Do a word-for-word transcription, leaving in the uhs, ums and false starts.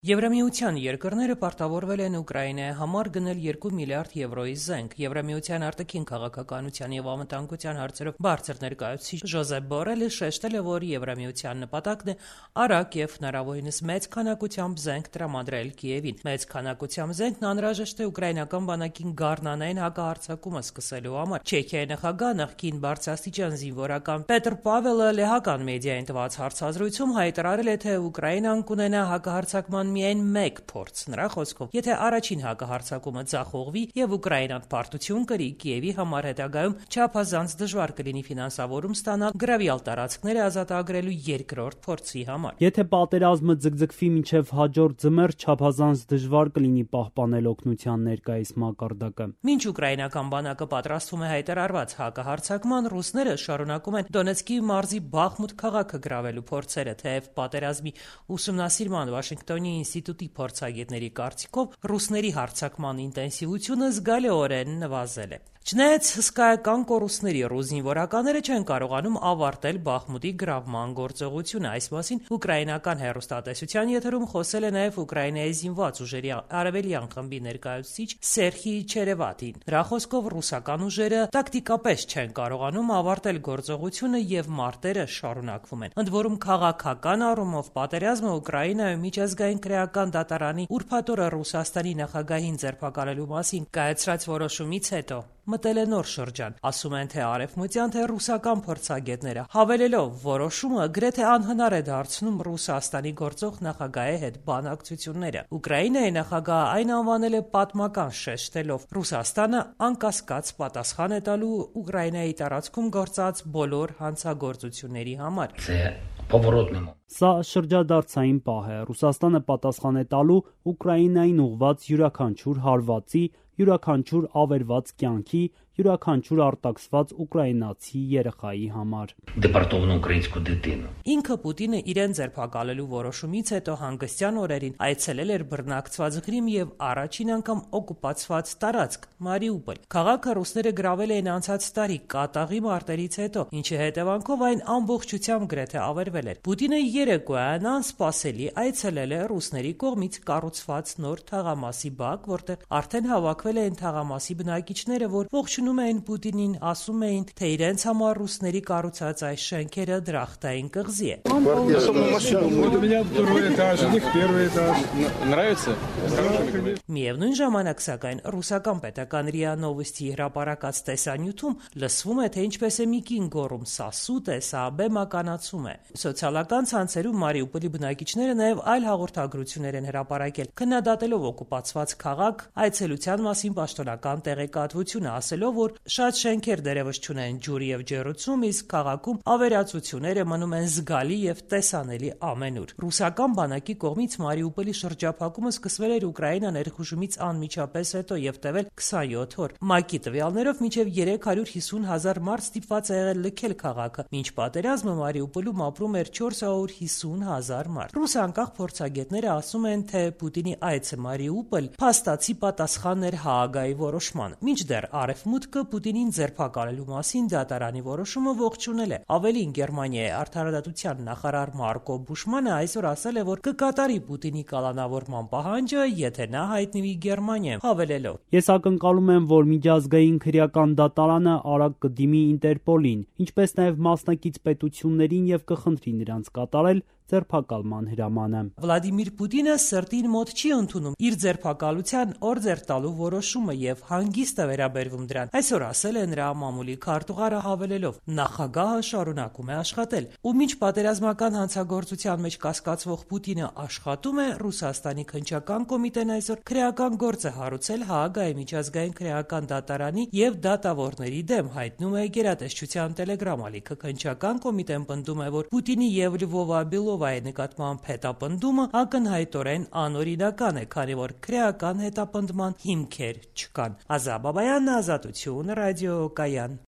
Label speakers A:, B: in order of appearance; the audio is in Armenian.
A: Եվրամիության երկրները պարտավորվել են Ուկրաինայի համար գնել երկու միլիարդ եվրոյի զենք։ Եվրամիության արտաքին քաղաքականության եւ անվտանգության հարցերով բարձր ներկայացուցիչ Ժոզեփ Բորելը շեշտել է, որ Եվրամիության նպատակն է արագ եւ հնարավորինս մեծ քանակությամբ զենք տրամադրել Կիևին։ Մեծ քանակությամբ զենքն անհրաժեշտ է ուկրաինական բանակին գառնանային հակահարձակումը սկսելու համար։ Չեխիայի նախագահ, նախկին բարձրաստիճան զինվորական Պետր Պավելը լեհական մեդիային տված հարցազրույցում հայտարարել է, թե Ուկրաինան կունենա հակահարձակման միայն մեկ փորձ։ Նրա խոսքով, եթե առաջին հակահարձակումը ձախողվի եւ Ուկրաինան պարտություն կրի, Կիևի համար հետագայում չափազանց դժվար կլինի ֆինանսավորում ստանալ գրավյալ տարածքները ազատագրելու երկրորդ փորձի համար։
B: Եթե պատերազմը ձգձգվի մինչև հաջորդ ձմեռ, չափազանց դժվար կլինի պահպանել օգնության ներկայիս մակարդակը։
A: Մինչ ուկրաինական բանակը պատրաստվում է հայտարարված հակահարձակման, ռուսները շարունակում են Դոնեցկի մարզի Բախմուտ քաղաքը գրավելու փորձերը, թեև պատերազմի ուսումնասիրման Վաշինգտոնի ինստիտուտի փորձագետների կարծիքով ռուսների հարձակման ինտենսիվությունը զգալիորեն նվազել է։ Չնայած հսկայական կորուստների, ռուս զինվորականները չեն կարողանում ավարտել Բախմուտի գրավման գործողությունը։ Այս մասին ուկրաինական հեռուստատեսության եթերում խոսել է նաև Ուկրաինայի զինված ուժերի արևելյան խմբի ներկայացուցիչ Սերխի Չերևատին։ Նրա խոսքով ռուսական ուժերը տակտիկապես չեն կարողանում ավարտել գործողությունը եւ մարտերը շարունակվում են։ Ընդ որում քաղաքական առումով պատերազմը Ուկրաինայում միջազգային քրեական դատարանի ուրբաթ օրը Ռուսաստանի նախագահին ձերբակալելու մասին կայացրած որոշումից հետո մտել է նոր շրջան, ասում են թե արևմտյան, թե ռուսական փորձագետները, հավելելով որոշումը գրեթե անհնար է դարձնում Ռուսաստանի գործող նախագահի հետ բանակցությունները։ Ուկրաինայի նախագահը այն անվանել է պատմական, շեշտելով Ռուսաստանը անկասկած պատասխան է տալու Ուկրաինայի տարածքում գործած բոլոր հանցագործությունների համար։
B: Սա շրջադարձային պահ է։ Ռուսաստանը պատասխան է տալու Ուկրաինային ուղղված յուրաքանչյուր հարվածի, յուրաքանչյուր ավերված կյանքի, յուրաքանչյուր արտաքսված ուկրաինացի երեխայի համար։
A: Ինքը Պուտինը իրեն ձերբակալելու որոշումից հետո հանգստյան օրերին այցելել էր բռնակցված Ղրիմ եւ առաջին անգամ օկուպացված տարածք Մարիուպոլ։ Քաղաքը ռուսները գրավել էին անցած տարի կատաղի մարտերից հետո, ինչի հետևանքով այն ամբողջությամբ գրեթե ավերվել էր։ Պուտինը երեկոյան անսպասելի այցելել է ռուսների կողմից կառուցված նոր թաղամասի բակ, որտեղ արդեն հավաքվել էին թաղամասի բնակիչները, որ ողջունում էին Պուտինին, ասում էին, թե իրենց համար ռուսների կառուցած այս շենքերը դրախտային կղզի է։ Միևնույն ժամանակ, սակայն, ռուսական պետական րիա Նովոստի հրապարակած տեսանյութում լսվում է, թե ինչպես է մի կին գոռում՝ «Սա սուտ է, սա բեմականացում է»։ Սոցիալական ցանցերում Մարիուպոլի բնակիչները նաև այլ հաղորդագրություններ են հրապարակել, քննադատելով օկուպացված քաղաք, այցելության մասին պաշտոնական տեղեկատվությունը, ասելով, որ շատ շենքեր դեռևս չունեն ջուր եւ ջեռուցում, իսկ քաղաքում ավերածությունները մնում են զգալի եւ տեսանելի ամենուր։ Ռուսական բանակի կողմից Մարիուպոլի շրջափակումը սկսվել էր Ուկրաինա ներխուժումից անմիջապես հետո եւ տևել քսանյոթ օր։ ՄԱԿ-ի տվյալներով մինչեւ երեք հարյուր հիսուն հազար մարդ ստիպված է եղել լքել քաղաքը։ Մինչ պատերազմը Մարիուպոլում ապրում էր չորս հարյուր հիսուն հազար մարդ։ Ռուս անկախ փորձագետները ասում են, թե Պուտինի այցը Մարիուպոլ փաստացի պատասխան էր Հաագայի որոշման։ Մինչդեռ Արևմուտքը Պուտինին ձերբակալելու մասին դատարանի որոշումը ողջունել է։ Ավելին, Գերմանիայի արդարադատության նախարար Մարկո Բուշմանը այսօր ասել է, որ կկատարի Պուտինի կալանավորման պահանջը, եթե նա հայտնվի Գերմանիայում, հավելելով.
B: Ես ակնկալում եմ, որ միջազգային քրեական դատարանը արագ կդիմի Ինտերպոլին, ինչպես նաև մասնակից պետություններին եւ կխնդրի նրանց կատարել ձերբակալման հրամանը։
A: Վլադիմիր Պուտինը սրտին մոտ չի ընդունում իր ձերբակալության օրդեր տալու որոշումը եւ հանգիստ է վերաբերվում դրան։ Այսօր ասել է նրա մամուլի քարտուղարը, հավելելով. նախագահը շարունակում է աշխատել։ Ու մինչ պատերազմական հանցագործության մեջ կասկածվող Պուտինը աշխատում է, Ռուսաստանի քննչական կոմիտեն այսօր քրեական գործ է հարուցել Հաագայի միջազգային քրեական դատարանի եւ դատավորների դեմ, հայտնում է Գերատեսչության տելեգրամ ալիքը։ Քննչական կոմիտեն պնդում է, որ Պուտինի եւ Լվովա Բելովայի նկատմամբ հետապնդումը ակնհայտորեն անօրինական է, քանի որ քրեական հետապնդման հիմքեր չկան։ Ազա Բաբայան, Ազատություն, ռադիոկայան։